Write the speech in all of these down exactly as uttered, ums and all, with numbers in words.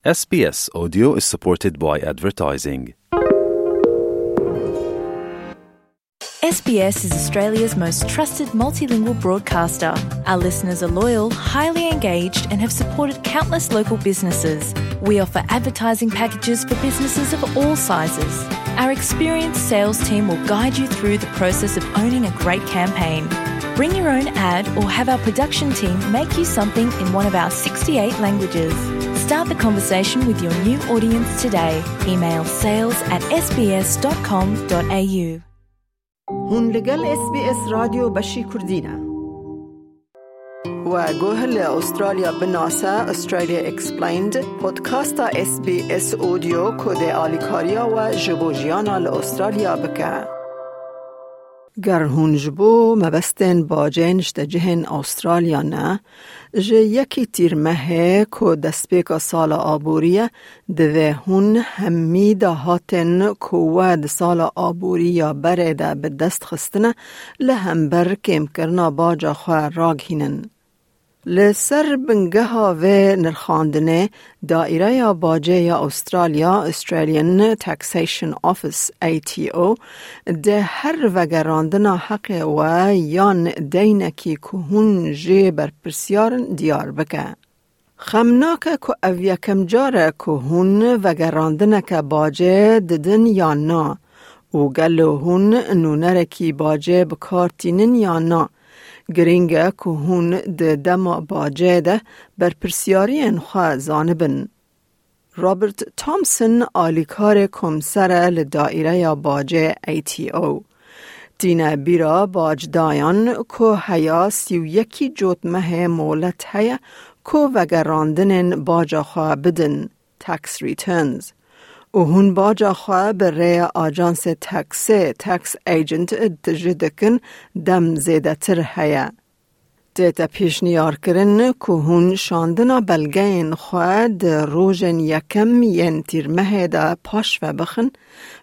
S B S Audio is supported by advertising. S B S is Australia's most trusted multilingual broadcaster. Our listeners are loyal, highly engaged, and have supported countless local businesses. We offer advertising packages for businesses of all sizes. Our experienced sales team will guide you through the process of owning a great campaign. Bring your own ad or have our production team make you something in one of our sixty-eight languages. Start the conversation with your new audience today. Email sales at S B S dot com dot A U. Hûn li gel S B S Radyo Beşî Kurdî ne. We guh li Australya binase, Australia Explained, podcasta S B S Audio ku dê alîkariya we ji bo jiyana li Australya bike. Ger hûn ji bo mebestên bacê niştecihên Australya ne, ji yekî Tîrmehê ku destpêka sala aborî ye, divê hûn hemî dahatên ku we di sala aborî ya berê de bi dest xistine, li hember kêmkirina baca xwe ragihînin. Li ser bingeha vê nirxandinê, Daîreya Bacê ya Australya, Australian Taxation Office, A T O, dê her vegerandina heqê we yan deynekî ku hûn jê berpirsiyar in diyar bike. Xem nake ku ev yekem car e ku hûn vegerandineke bacê didin yan na û gelo hûn nûnerekî bacê bi kar tînin yan na. Girîng e ku hûn di dema bacê de berpirsiyariyên xwe zanibin. Robert Thompson alîkarê komser e li Daîreya Bacê A T O. Tîne bîra bacdayan ku heya sî û yekî cotmehê molet heye ku vegerandinên baca xwe bidin, tax returns. Û hûn baca xwe bi rêya ajansê taxê, tax agent, tije dikin, dem zêdetir heye. Tête pêşniyarkirin ku hûn şandina belgeyên xwe di rojên yekem yên Tîrmehê de paş ve bixin,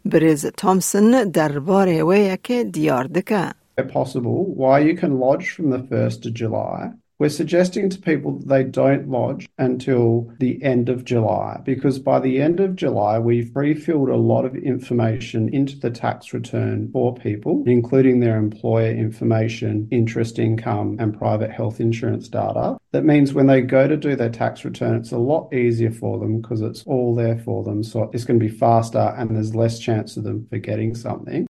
birêz Thompson derbarê wê yekê diyar dike. Where possible, while you can lodge from the first of July, we're suggesting to people that they don't lodge until the end of July, because by the end of July, we've pre-filled a lot of information into the tax return for people, including their employer information, interest income, and private health insurance data. That means when they go to do their tax return, it's a lot easier for them because it's all there for them. So it's gonna be faster and there's less chance of them forgetting something.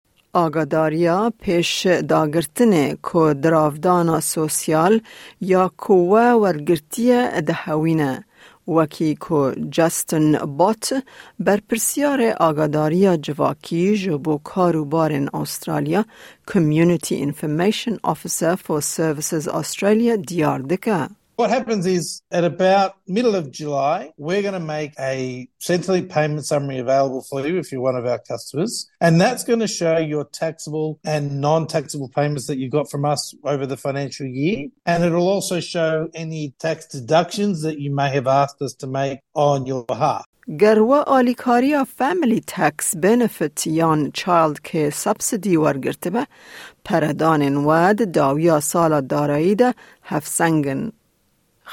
Agadariya pêş dagirtinê ku diravdana sosyal ya ku we wergirtiye dihewîne, wekî ku Justin Bott, berpirsiyarê agadariya civakî ji bo kar û barên Australya, Community Information Officer for Services Australia, diyar dike. What happens is, at about middle of July, we're gonna make a Centrelink payment summary available for you if you're one of our customers. And that's gonna show your taxable and non-taxable payments that you got from us over the financial year. And it'll also show any tax deductions that you may have asked us to make on your behalf. Ger we alîkariya Family Tax Benefit yan Child Care Subsidy wergirtibe, peredanên we di dawiya sala darayî de hevseng in.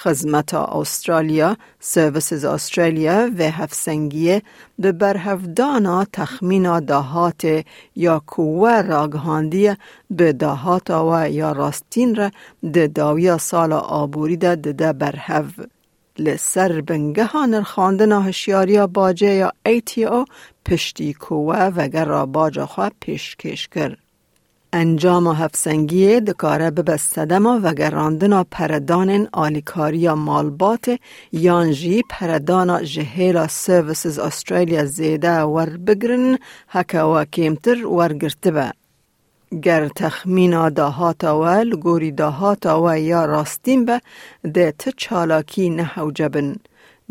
Xizmeta Australia, Services Australia, vê hevsengiyê bi berhevdana texmîna dahatê ya ku we ragihandiye bi dahata we ya rastîn re di dawiya sala aborî de dide berhev. Li ser bingeha nirxandina hişyariya bacê ya A T O, piştî ku we vegera baca xwe pêşkêş kir. Encama hevsengiyê dikare bibe sedema vegerandina peredanên alîkariya malbatê yan jî peredana ji hêla Services Australia zêde werbigirin, heke we kêmtir wergirtibe. Ger texmîna dahata we li gorî dahata we ya rastîn be, dê ti çalakî nehewce bin.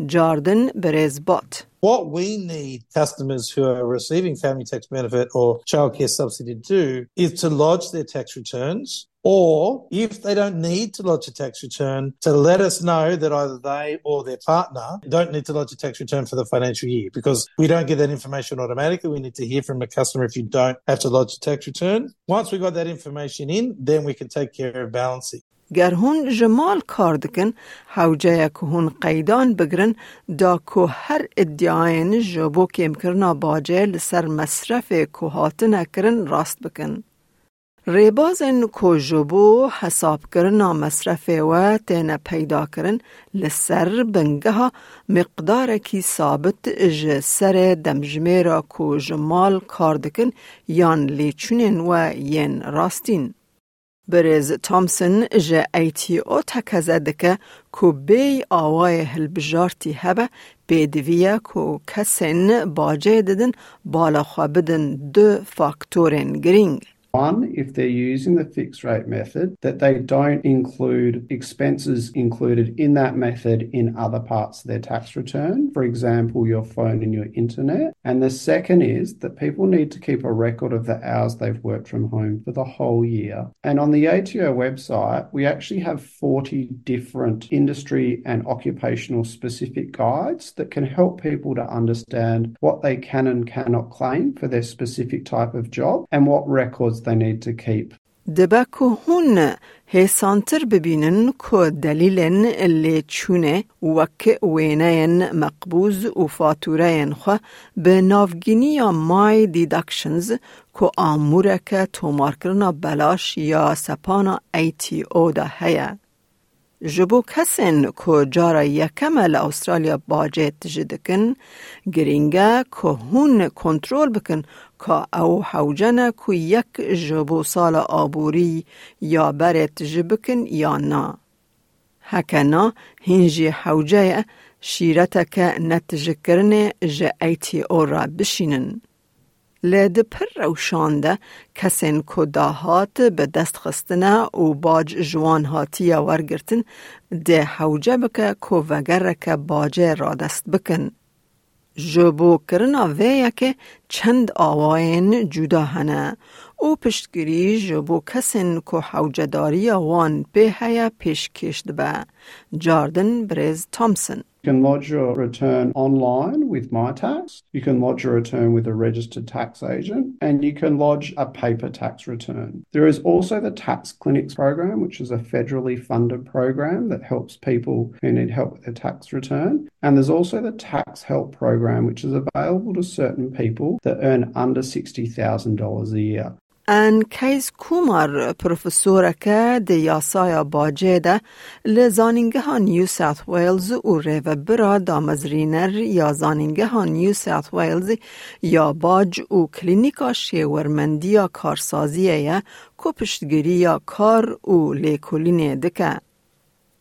Cardin birêz Bott. What we need customers who are receiving family tax benefit or childcare subsidy to do is to lodge their tax returns, or if they don't need to lodge a tax return, to let us know that either they or their partner don't need to lodge a tax return for the financial year, because we don't get that information automatically. We need to hear from a customer if you don't have to lodge a tax return. Once we got that information in, then we can take care of balancing. Ger hûn ji mal kar dikin, hewce ye ku hûn qeydan bigirin da ku her îdiayên ji bo kêmkirina bacê li ser mesrefê ku hatine kirin rast bikin. Rêbazên ku ji bo hesabkirina mesrefê we têne peydakirin, li ser bingeha miqdarekî sabit ji serê demjimêra ku ji mal kar dikin yan lêçûnên we yên rastîn. Birêz Thompson ji A T O tekeze dike ku bêyî awayê hilbijartî hebe, pêdivî ye ku kesên bacê didin bala xwe bidin du faktorên girîng. One, if they're using the fixed rate method, that they don't include expenses included in that method in other parts of their tax return, for example, your phone and your internet. And the second is that people need to keep a record of the hours they've worked from home for the whole year. And on the A T O website, we actually have forty different industry and occupational specific guides that can help people to understand what they can and cannot claim for their specific type of job and what records they need to keep. Dibe ku hûn hêsantir bibînin ku delîlên lêçûnê wek wêneyên meqbûz û fatûreyên xwe bi navgîniya My Deductions ku amûreke tomarkirina belaş ya sepana A T O de heye. Ji bo kesên ku cara yekem e li Awustralya bacê tije dikin, girîng e ku hûn kontrol bikin ka ew hewce ne ku yek ji bo sala aborî ya berê tije bikin yan na. Heke na, hîn jî hewce ye şîreteke netijekirinê ji A T O re bişînin. Li di pir rewşan de kesên ku dahat bi dest xistine û bac ji wan hatiye wergirtin, dê hewce bike ku vegereke bacê radest bikin. Ji bo kirina vê yekê çend awayên cuda hene û piştgirî ji bo kesên ku hewcedariya wan pê heye pêşkêş dibe. Cardin Birêz Thompson. You can lodge your return online with MyTax. You can lodge your return with a registered tax agent, and you can lodge a paper tax return. There is also the Tax Clinics program, which is a federally funded program that helps people who need help with their tax return. And there's also the Tax Help program, which is available to certain people that earn under sixty thousand dollars a year. Anne Case Kumar, profesoreke di yasaya bacê de li Zanîngeha New South Wales û rêvebira damezrîner ya Zanîngeha New South Wales ya bac û Klînîka Şêwermendiya Karsaziyê ye ku piştgiriya kar û lêkolînê dike.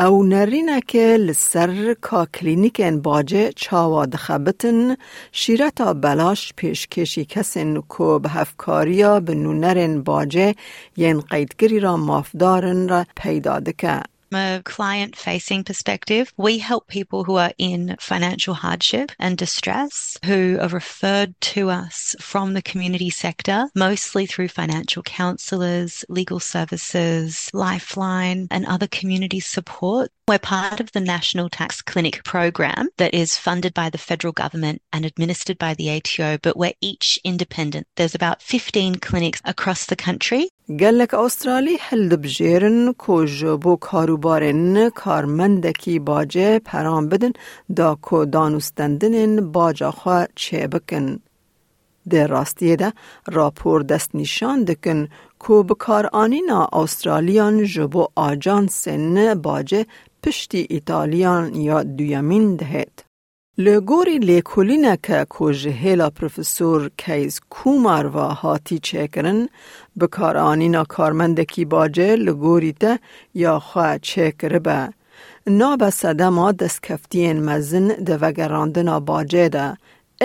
Ew nerîneke li ser ka klînîkên bacê çawa dixebitin, şîreta belaş pêşkêşî kesên ku bi hevkariya bi nûnerên bacê yên qeydkirî re mafdar in re peyda dike. From a client facing perspective, we help people who are in financial hardship and distress who are referred to us from the community sector, mostly through financial counsellors, legal services, Lifeline, and other community support. We're part of the National Tax Clinic program that is funded by the federal government and administered by the A T O, but we're each independent. There's about fifteen clinics across the country. Gelek Awustralî hildibijêrin ku ji bo karûbarên karmendekî bacê peran bidin, da ku danûstendinên baca xwe çêbikin. Di rastiyê de, rapor destnîşan dikin ku bikaranîna Awustraliyan ji bo ajansên bacê piştî Îtaliyan ya duyemîn dihêt. Li gorî lêkolîneke ku ji hêla Profesor Keys Kumar ve hatî çêkirin, bikaranîna karmendekî bacê li gorî te ya xwe çêkiribe. Nabe sedema destkeftiyên mezin di vegerandina bacê de,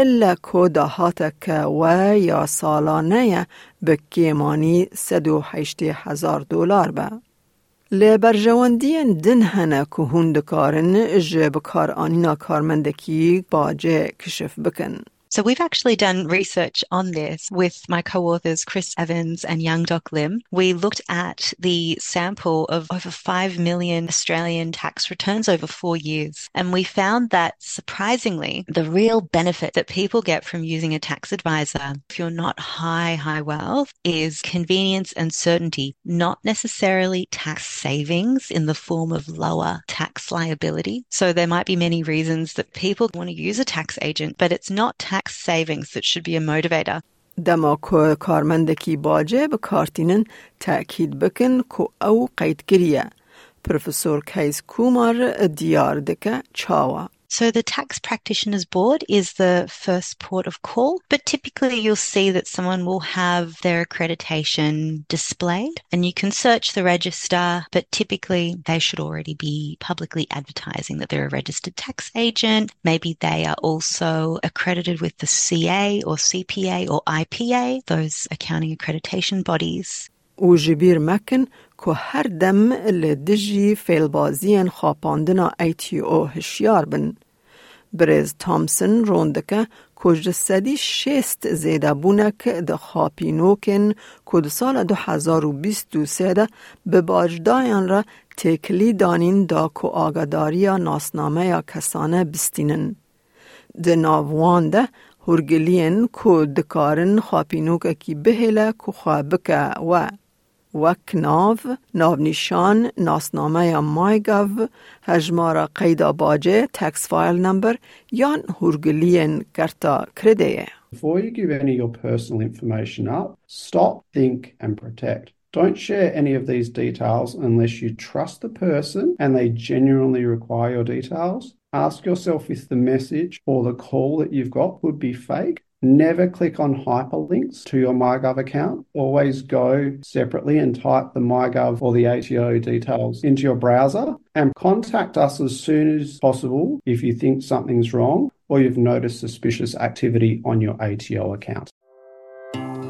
ille ku dahateke we ya salane ye bi kêmanî sed û heştê hezar dolar be. Li berjewendiyên din hene ku hûn dikarin ji bikaranîna karmendekî bacê kişif bikin. So we've actually done research on this with my co-authors Chris Evans and Young Doc Lim. We looked at the sample of over five million Australian tax returns over four years. And we found that, surprisingly, the real benefit that people get from using a tax advisor, if you're not high, high wealth, is convenience and certainty, not necessarily tax savings in the form of lower tax liability. So there might be many reasons that people want to use a tax agent, but it's not tax savings that should be a motivator. Dema ku karmendekî bacê bi kar tînin, tekîd bikin ku ew qeyd kiriye. Profesor Keys Kumar diyar dike çawa. So the Tax Practitioners Board is the first port of call, but typically you'll see that someone will have their accreditation displayed, and you can search the register, but typically they should already be publicly advertising that they're a registered tax agent. Maybe they are also accredited with the C A or C P A or I P A, those accounting accreditation bodies. Û ji bîr mekin ku her dem li dijî fêlbaziyên xapandina A T O hişyar bin. Birêz Thompson rûn dike ku ji sedî şêst zêdebûnek di xapînokên ku di sala du hezar û bîst û sê de bi bacdayan re têkilî danîn da ku agadariya nasnameya kesane bistînin. Di nav wan de hûrgiliyên ku dikarin xapînokekî bihêle ku xwe bike we, wek nav, navnîşan, nasnameya MyGov, hejmara qeyda bacê, tax file number, yan hûrgiliyên kerta kredeyê. Before you give any of your personal information up, stop, think, and protect. Don't share any of these details unless you trust the person and they genuinely require your details. Ask yourself if the message or the call that you've got could be fake. Never click on hyperlinks to your MyGov account. Always go separately and type the MyGov or the A T O details into your browser, and contact us as soon as possible if you think something's wrong or you've noticed suspicious activity on your A T O account.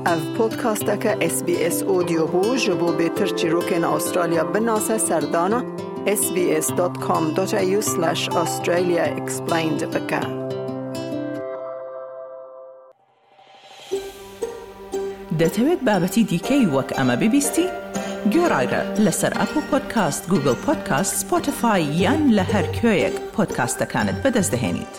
Ev podcasteke S B S Audio bû. Ji bo bêtir çîrokên Australya binase, serdana S B S dot com dot A U slash Australia explained bike. دەتەوێت بابەتی دیکەی وەک ئەمە ببیستی؟ گوێڕایرە لەسەر ئەپڵ پۆدکاست، گوگڵ پۆدکاست، سپۆتیفای یان لە هەر کوێیەک پۆدکاستەکانت بەدەست دەهێنیت.